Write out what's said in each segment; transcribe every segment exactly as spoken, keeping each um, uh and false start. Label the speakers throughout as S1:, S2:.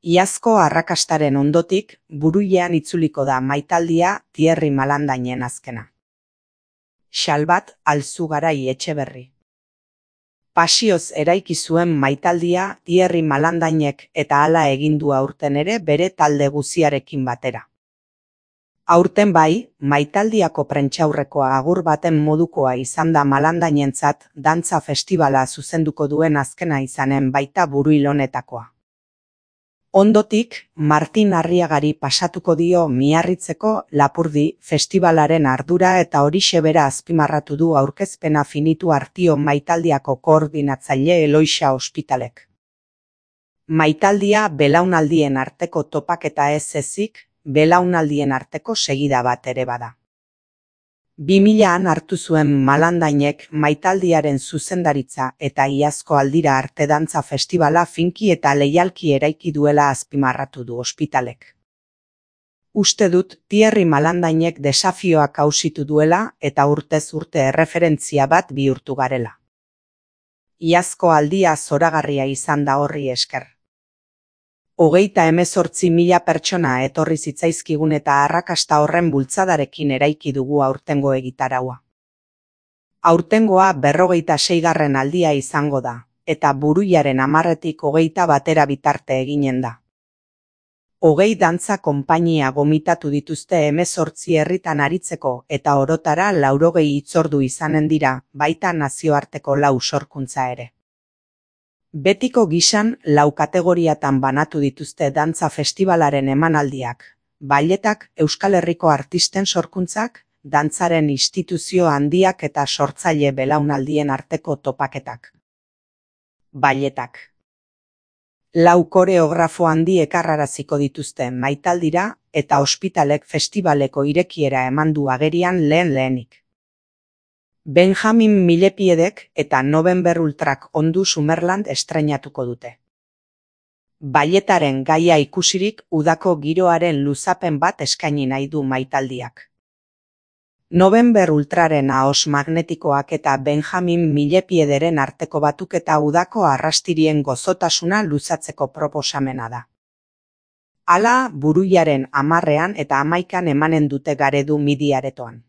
S1: Iazko arrakastaren ondotik, Buruilean itzuliko da maitaldia Thierry Malandainen azkena. Xalbat Alzugarai Etxeberri. Pasioz eraiki zuen maitaldia Thierry Malandainek eta hala egin du aurten ere bere talde guziarekin batera. Aurten bai, maitaldiako prentsaurrekoa agur baten modukoa izan da Malandainentzat dantza festivala zuzenduko duen azkena izanen baita Buruil honetakoa. Ondotik, Martin Arriagari pasatuko dio Miarritzeko Lapurdi festivalaren ardura eta horixe bera azpimarratu du aurkezpena finitu artio maitaldiako koordinatzaile Eloisa Ospitalek. Maitaldia belaunaldien arteko topaketa ez ezik, belaunaldien arteko segida bat ere bada. bi milaan hartu zuen Malandainek maitaldiaren zuzendaritza eta iazko aldira arte dantza festivala finki eta leialki eraiki duela azpimarratu du Ospitalek. Uste dut Thierry Malandainek desafioak ausitu duela eta urtez urte erreferentzia bat bihurtu garela. Iazko aldia zoragarria izan da horri esker. Hogeita hemezortzi mila pertsona etorri zitzaizkigun eta arrakasta horren bultzadarekin eraiki dugu aurtengo egitaraua. Aurtengoa berrogeita seigarren aldia izango da, eta Buruilaren hamarretik hogeita batera bitarte eginen da. Hogei dantza konpainia gomitatu dituzte hemezortzi herritan aritzeko eta orotara laurogei hitzordu izanen dira, baita nazioarteko lau sorkuntza ere. Betiko gisan lau kategoriatan banatu dituzte dantza festivalaren emanaldiak, balletak, Euskal Herriko artisten sorkuntzak, dantzaren instituzio handiak eta sortzaile belaunaldien arteko topaketak. Balletak. Lau koreografo handi ekarraraziko dituzte maitaldira eta Ospitalek festivaleko irekiera eman du agerian lehen lehenik. Benjamin Millepiedek eta November Ultrak ondu Summerland estreinatuko dute. Balletaren gaia ikusirik udako giroaren luzapen bat eskaini nahi du maitaldiak. November Ultraren ahos magnetikoak eta Benjamin Millepiederen arteko batuketa udako arrastirien gozotasuna luzatzeko proposamena da. Hala, Buruilaren hamarrean eta hamaikan emanen dute Garedu Midi aretoan.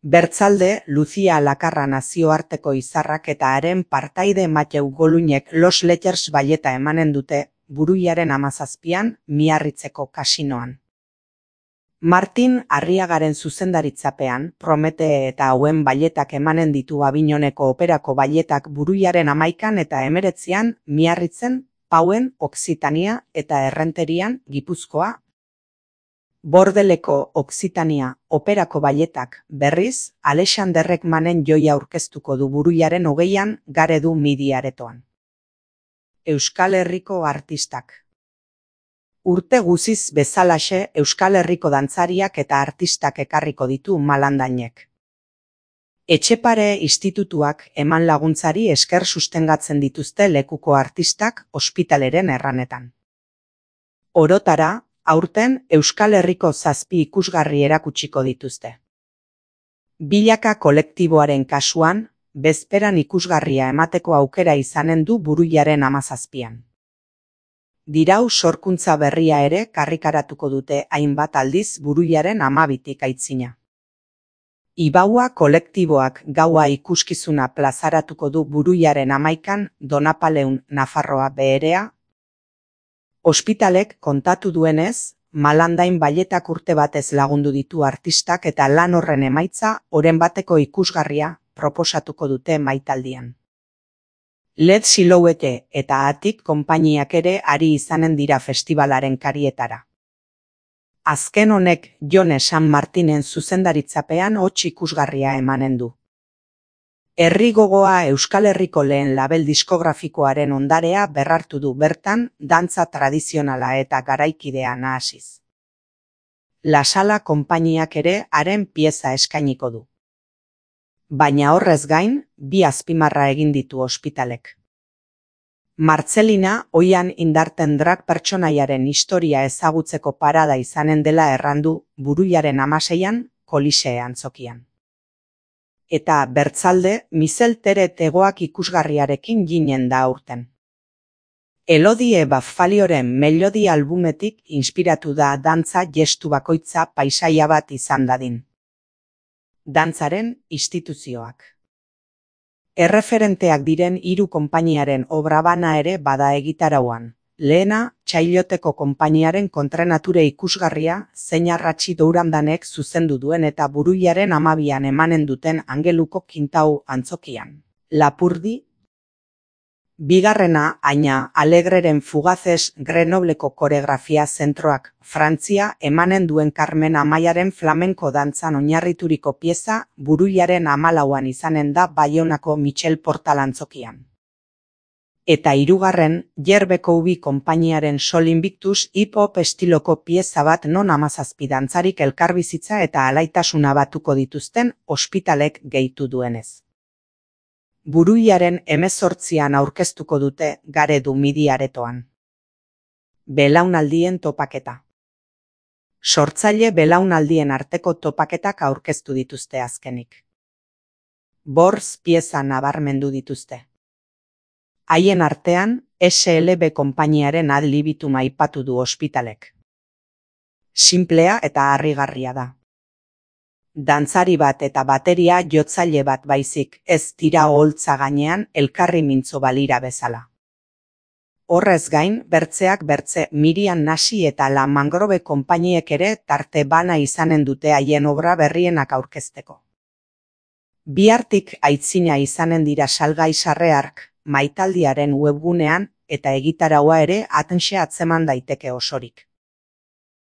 S1: Bertzalde, Lucia Lakarra nazioarteko izarrak eta haren partaide Mateu Golunek Los Letters balleta emanen dute Buruilaren hamazazpian Miarritzeko kasinoan. Martin Arriagaren zuzendaritzapean, Promete eta hauen balletak emanen ditu Avignoneko operako balletak Buruilaren hamaikan eta hemeretzian Miarritzen, Pauen, Oksitania eta Errenterian, Gipuzkoa. Bordeleko Oksitania operako balletak berriz, Alexander Ekmanen joia aurkeztuko du Buruilaren hogeian Garedu Midi aretoan. Euskal Herriko artistak. Urte guziz bezalaxe Euskal Herriko dantzariak eta artistak ekarriko ditu Malandainek. Etxepare institutuak eman laguntzari esker sustengatzen dituzte lekuko artistak Ospitaleren erranetan. Orotara, aurten Euskal Herriko zazpi ikusgarri erakutsiko dituzte. Bilaka kolektiboaren kasuan, bezperan ikusgarria emateko aukera izanen du Buruilaren hamazazpian. Dirau sorkuntza berria ere karrikaratuko dute hainbat aldiz Buruilaren hamabitik aitzina. Ibaua kolektiboak gaua ikuskizuna plazaratuko du Buruilaren hamaikan Donapaleun Nafarroa beherea. Ospitalek kontatu duenez, Malandain balletak urte batez lagundu ditu artistak eta lan horren emaitza oren bateko ikusgarria proposatuko dute maitaldian. Led Silhouette eta Atik konpainiak ere ari izanen dira festivalaren karietara. Azken honek Jone San Martinen zuzendaritzapean hots ikusgarria emanen du. Herri gogoa Euskal Herriko lehen label diskografikoaren ondarea berrartu du bertan dantza tradizionala eta garaikidea nahasiz. La Sala konpainiak ere haren pieza eskainiko du. Baina horrez gain, bi azpimarra egin ditu Ospitalek. Martzelina oian indarten drag pertsonaiaren historia ezagutzeko parada izanen dela errandu Buruilaren hamaseian Kolisee antzokian. Eta bertzalde, Mizel Teret egoak ikusgarriarekin ginen da aurten. Elodie Baffalioren Melodi albumetik inspiratu da dantza gestu bakoitza paisaia bat izan dadin. Dantzaren instituzioak. Erreferenteak diren hiru konpainiaren obra bana ere bada egitarauan. Lehena, Txailoteko konpainiaren kontranature ikusgarria, zein Arratxi Dourandanek zuzendu duen eta Buruiaren amabian emanen duten Angeluko Kintau antzokian. Lapurdi. Bigarrena, Aina Alegreren Fugazes Grenobleko koreografia zentroak, Frantzia emanen duen Carmen Amaiaren flamenko dantzan oinarrituriko pieza, Buruiaren hamalauan izanen da Baionako Michel Portal antzokian. Eta hirugarren, Yerbeko Ubi konpainiaren Sol Invictus hip-hop estiloko pieza bat non hamazazpi dantzarik elkarbizitza eta alaitasuna batuko dituzten ospitalek gehitu duenez. Buruiaren hemezortzian aurkeztuko dute Garedu Midi aretoan. Belaunaldien topaketa. Sortzaile belaunaldien arteko topaketak aurkeztu dituzte azkenik. Borz pieza nabarmendu dituzte. Haien artean, S L B konpainiaren adlibitu aipatu du ospitalek. Sinplea eta harrigarria da. Dantzari bat eta bateria jotzaile bat baizik, ez dira oholtza gainean elkarri mintzo balira bezala. Horrez gain, bertzeak bertze Miriam Nasi eta La Mangrove konpainiek ere tarte bana izanen dute haien obra berrienak aurkezteko. Bihartik aitzina izanen dira salgai sarreark, Maitaldiaren webgunean eta egitaraua ere atenxe atzeman daiteke osorik.